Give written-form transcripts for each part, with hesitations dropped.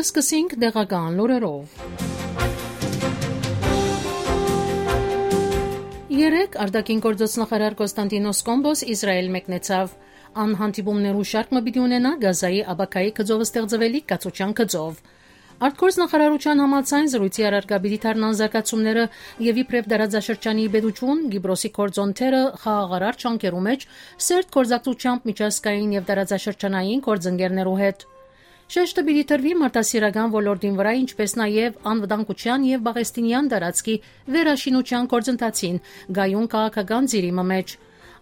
Սկսենք դեղական լուրերով։ Երեկ արտաքին գործոց նախարար Կոստանդինոս Կոմբոս Իսրայել մեկնեցավ։ Անհանդիպումներու շարք մը պիտի ունենա Գազայի աբակայի գծով ստեղծվելիք կացության գծով։ Արտգործ նախարարության համաձայն զրույցի առարկա պիտի դառնան զարգացումները եւ իբրև դարաձաշրջանի բեդություն Գիբրոսի կորձոնթերը խաղաղարար ճանկերու մեջ սերտ կորզակցությամբ միջազգային եւ դարաձաշրջանային կորձընկերներու հետ։ Շեշտը պիտի տրվի մարտահրավերական ոլորտին վրա, ինչպես նաև անվտանգության եւ բաղեստինյան տարածքի վերաշինության գործընթացին գայուն քաղաքական ծիրի մեջ։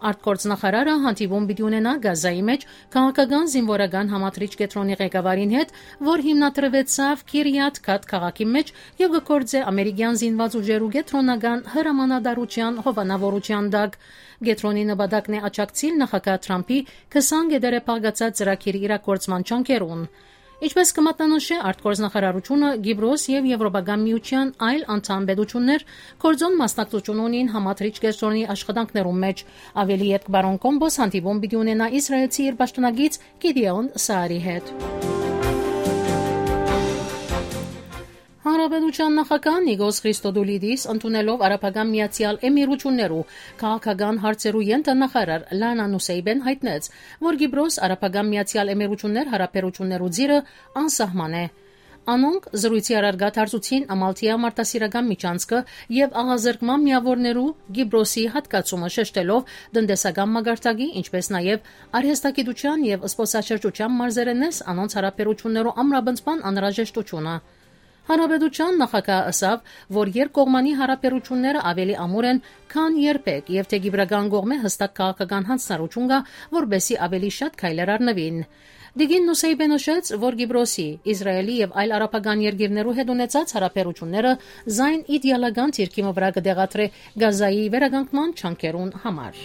Արտգործ նախարարը հանդիպում պիտի ունենա Գազայի մեջ քաղաքական զինվորական համադրիչ կետրոնի ղեկավարին հետ, որ հիմնադրվեցավ Քիրիաթ Գաթ քաղաքի մեջ եւ գործե ամերիկյան զինված ուժերու կետրոնական հրամանատարության հովանավորության տակ։ Գետրոնի նպատակն է աջակցել նախագահ Թրամփի 20 գետերը փաղկացած ծրագիրի իրագործման ճանկերուն։ Ինչպես կմատնանշե արտգործ նախարարությունը Գիբրոս եւ Եվրոպական միության այլ անդամ պետություններ կորձոն մասնակցություն ունին համադրիչ կետրոնի աշխատանքներում մեջ։ Ավելի երկ բարոն Կոմբոս հանդիպում պիտի ունենա իսրայելցի իր պաշտոնագիծ Գիդեոն Սաարի հետ։ Հանրապետության նախագահ Նիկոս Քրիստոդուլիդիս ընդունելով Արաբական Միացյալ Էմիրություններու քաղաքական հարցերու ենթանախարար Լանա Նուսեյբեն հայտնեց, որ Գիբրոս Արաբական Միացյալ Էմիրություններ հարաբերություններու ձիրը անսահման է։ Անոնք զրույցի առարգա դարձուցին Ամալթիա մարտահրավերական միջանցքը եւ աղազրկման միավորներու Գիբրոսի հատկացումը շեշտելով տնտեսական մագարտակի, ինչպես նաեւ արհեստագիտության եւ սպոսաշրջության մարզերենես անոնց հարաբերություններու ամրապնդման անհրաժեշտությունը։ Հանրապետության նախագահը ասավ, որ երկկողմանի հարաբերությունները ավելի ամուր են, քան երբեք, եւ թե գիբրական կողմը հստակ քաղաքական հանձնարարություն կա, որբեսի ավելի շատ քայլեր առնվին։ Դիգին Նուսեյբեն նշեց, որ Գիբրոսի, Իսրայելի եւ այլ արաբական երկիրներու հետ ունեցած հարաբերությունները զայն իդեալական թիրքի վրա կդեղատրե Գազայի վերականգնման ճանկերուն համար։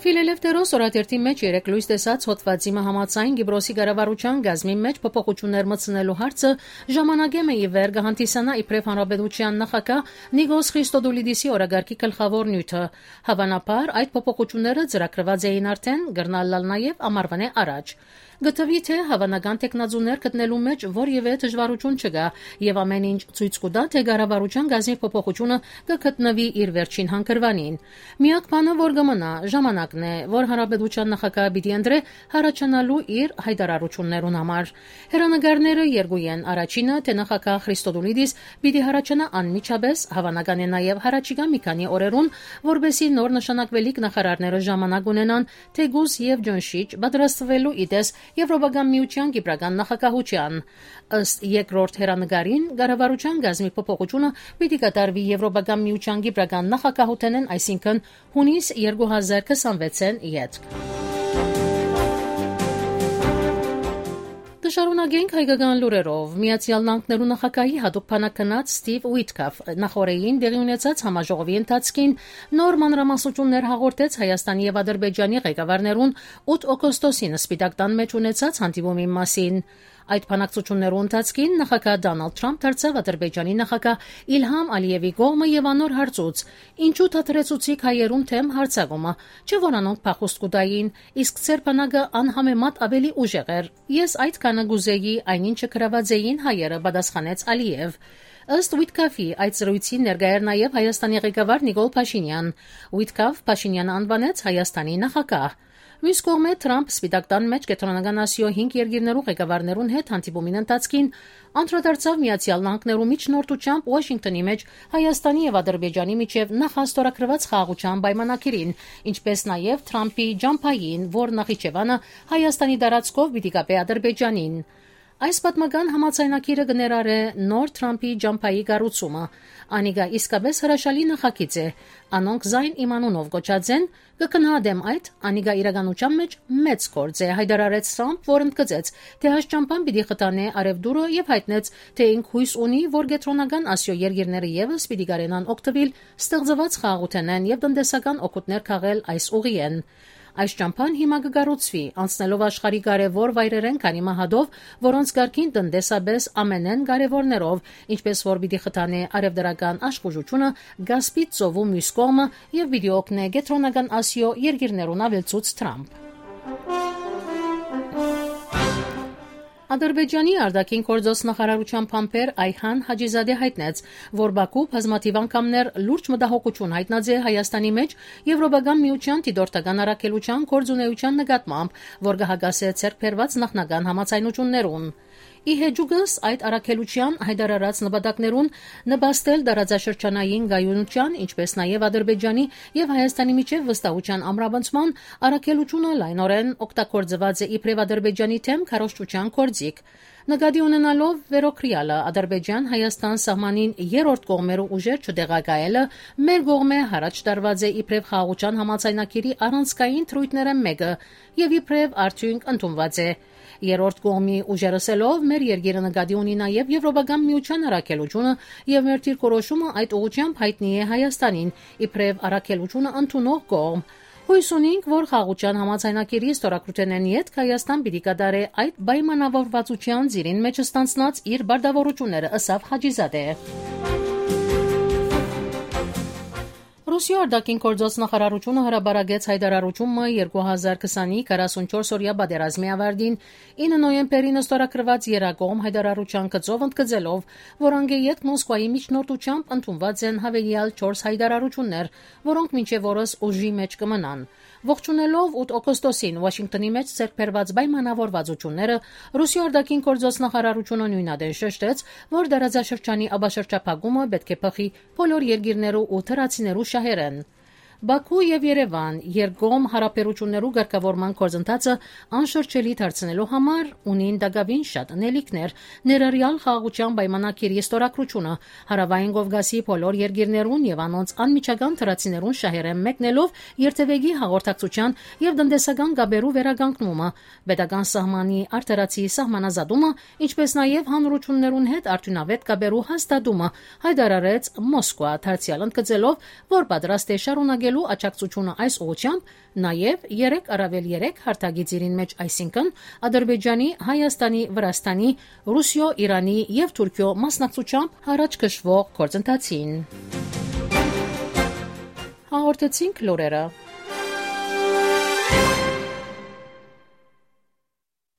Ֆիլելեֆտերոս օրաթերթի մեջ երեք լույս տեսած հոդվածի համաձայն Գիբրոսի կառավարության գազմի մեջ փոփոխություններ մտցնելու հարցը ժամանակեմ է ի վեր կհանդիսանա իբրև հանրապետության նախագահ Նիկոս Քրիստոդուլիդիսի օրագարկի գլխավոր նյութը։ Հավանաբար այդ փոփոխությունները ծրագրված էին արդեն գրնալալ նաև ամառվան առաջ։ Գտվի թե հավանական տեխնազուներ գտնելու մեջ որևէ դժվարություն չկա եւ ամեն ինչ ցույց կտա թե կառավարության գազի փոփոխությունը կգտնվի իր վերջին հանգրվանին։ Միակ բանը որ կմնա ժամանակն է, որ հանրապետության նախագահը պիտի ընտրե հարաճանալու իր հայտարարություններուն համար։ Հեռանկարները երկու են։ Առաջինը թե նախագահ Քրիստոդուլիդիս պիտի հարաճանա անմիջապես, հավանական է նաեւ հարաճիգա մի քանի օրերուն, որբեսի նոր նշանակվելիք նախարարները ժամանակ ունենան թեգուս եւ ջոնշիչ պատրաստվելու իդես Եվրոպական միության գիբրական նախագահության։ Ըստ երկրորդ հեռանկարին կառավարության գազմի փոփոխությունը պիտի կատարվի Եվրոպական միության գիբրական նախագահութենեն, այսինքն հունիս 2026-ին յետք։ Շարունակենք հայկական լուրերով։ Միացյալ Նահանգներու նախագահի հատուկ բանակնած Ստիվ Ուիտկաֆ նախորդին դեղի ունեցած համաժողովի ընթացքին նոր մանրամասնություններ հաղորդեց Հայաստանի եւ Ադրբեջանի ղեկավարներուն 8 օգոստոսին Սպիտակ տան մեջ ունեցած հանդիպումի մասին։ Այդ բանակցություններու ընթացքին նախագահ Դոնալդ Թրամփ դարձավ Ադրբեջանի նախագահ Իլհամ Ալիևի կողմը եւ անոր հարցուց. «Ինչու թատրեցուցիկ հայերուն թեմ հարցակումը, չէ՞ որ անոնք փախուստ կուտային, իսկ ծեր բանակը անհամեմատ ավելի ուժեղ էր։ Ես այդ կանը գուզեի, այնինչը գրաված էին հայերը», պատասխանեց Ալիև։ Ըստ Ուիտկաֆի այդ զրույցի ներկայ էր նաեւ Հայաստանի ղեկավար Նիկոլ Փաշինյան։ Ուիտկաֆ Փաշինյանը անվանեց Հայաստանի նախագահ։ Մյուս կողմը Թրամփ Սպիտակ տան մեջ կենտրոնական Ասիո 5 երկիրներու ղեկավարներուն հետ հանդիպումին ընթացքին անդրադարձավ Միացյալ Նահանգներու միջնորդությամբ Վաշինգտոնի մեջ Հայաստանի եւ Ադրբեջանի միջև նախաստորագրված խաղաղության պայմանագիրին, ինչպես նաեւ Թրամփի ջամփային, որ Նախիջևանը Հայաստանի տարածքով պիտի կապե Ադրբեջանին։ Այս պատմական համաձայնագիրը կներառե նոր Թրամփի ջամփայի կառուցումը։ Անիկա իսկապես հրաշալի նախագիծ է։ Անոնք զայն իմանունով գոչած են, կգնահատեմ այդ, անիկա իրականության մեջ մեծ գործ է, հայտարարեց Թրամփ, որ ընդգծեց, թե այս ջամփան պիտի խթանե արևդուրը եւ հայտնեց, թե ինք հույս ունի, որ կենտրոնական Ասիո երկիրները եւս պիտի կարենան օգտվել ստեղծված խաղաղութենեն եւ տնտեսական օգուտներ քաղել այս ուղիեն։ Այս ճամփան հիմա կգառուցվի, անցնելով աշխարհի կարևոր վայրերեն քանի մահադով, որոնց կարգին տնտեսաբես ամենեն կարևորներով, ինչպես որ պիտի խթանե արևդրական աշխուժությունը, Գասպից ծովու մյուս կողմը եւ պիտի օգնե կենտրոնական Ասիո երկիրներուն ավելցուց Թրամփ։ Ադրբեջանի արտաքին գործոս նախարարության փամփեր Այհան Հաջիզադե հայտնեց, որ Բաքու բազմաթիվ անգամներ լուրջ մտահոգություն հայտնած է Հայաստանի մեջ Եվրոպական միության դիտորդական առաքելության գործունեության նկատմամբ, որ կհագասե ցերկբերված նախնական համաձայնություններուն։ Ի հեջուկս այդ առաքելության հայտարարած նպատակներուն նպաստել տարածաշրջանային գայունության, ինչպես նաև Ադրբեջանի եւ Հայաստանի միջև վստահության ամրապնդման առաքելությունը լայնորեն օգտագործված է իբրև Ադրբեջանի թեմ քարոզչության գործիք։ Նկատի ունենալով վերոքրյալը Ադրբեջան-Հայաստան սահմանին երրորդ կողմերու ուժեր չտեղակայելը մեր կողմէ հարաճ տարված է իբրև խաղաղության համաձայնագիրի առանցքային թրույթները մեկը եւ իբրև արդյունք ընդունված է։ Երրորդ կողմի ուժերսելով մեր երկիրը նկատի ունի նաև Եվրոպական միության առաքելությունը եւ մեր դիրքորոշումը այդ ուղղությամբ հայտնի է Հայաստանին իբրև առաքելությունը ընդունող կողմ։ Հույս ունենք, որ խաղաղության համաձայնագիրի ստորագրութենեն յետք Հայաստան պիտի կատարի այդ պայմանավորվածության ծիրին մեջ ստանցնած իր բարդավորությունները, ըսավ Հաջիզադե։ Ռուսիա արտաքին գործոս նախարարությունը հրաբարագեց հայտարարությունը 2020-ի 44-օրյա պատերազմի ավարտին 9 նոյեմբերին ստորագրված երակողմ հայտարարության գծով ընդգծելով, որ անգեյետ Մոսկվայի միջնորդությամբ ընդունված են հավելյալ 4 հայտարարություններ, որոնք մինչև օրս ուժի մեջ կմնան։ Ողջունելով 8 օգոստոսին Վաշինգտոնի մեջ ցերկբերված պայմանավորվածությունները, Ռուսիա արտաքին գործոս նախարարությունը նույնադեն շեշտեց, որ դարաձաշրջանի աբաշրջափակումը պետք է փոխի բոլոր երկիրներու ու թրացիներու շահերեն։ Բաքու եւ Երևան երկկողմ հարաբերություններու ղեկավարման գործընթացը անշրջելի դարձնելու համար ունին դակավին շատ նելիքներ, ներառյալ խաղաղության պայմանագիրի ստորագրությունը, Հարավային Կովկասի բոլոր երկիրներուն եւ անոնց անմիջական թրացիներուն շահերեն մեկնելով երթևեկի հաղորդակցության եւ տնտեսական գաբերու վերականգնումը, պետական սահմանի արտարացի սահմանազատումը, ինչպես նաեւ հանրություններուն հետ արդյունավետ գաբերու հաստատումը, հայտարարեց Մոսկվա, դարձյալ ընդգծելով, որ պատրաստ է շարունակել աջակցությունը այս ուղղությամբ նաև 3+3 հարտագիծերին մեջ, այսինքն Ադրբեջանի, Հայաստանի, Վրաստանի, Ռուսիո, Իրանի եւ Թուրքիո մասնակցությամբ հարաճ քշվող գործընթացին։ Հաղորդեցինք լուրերը։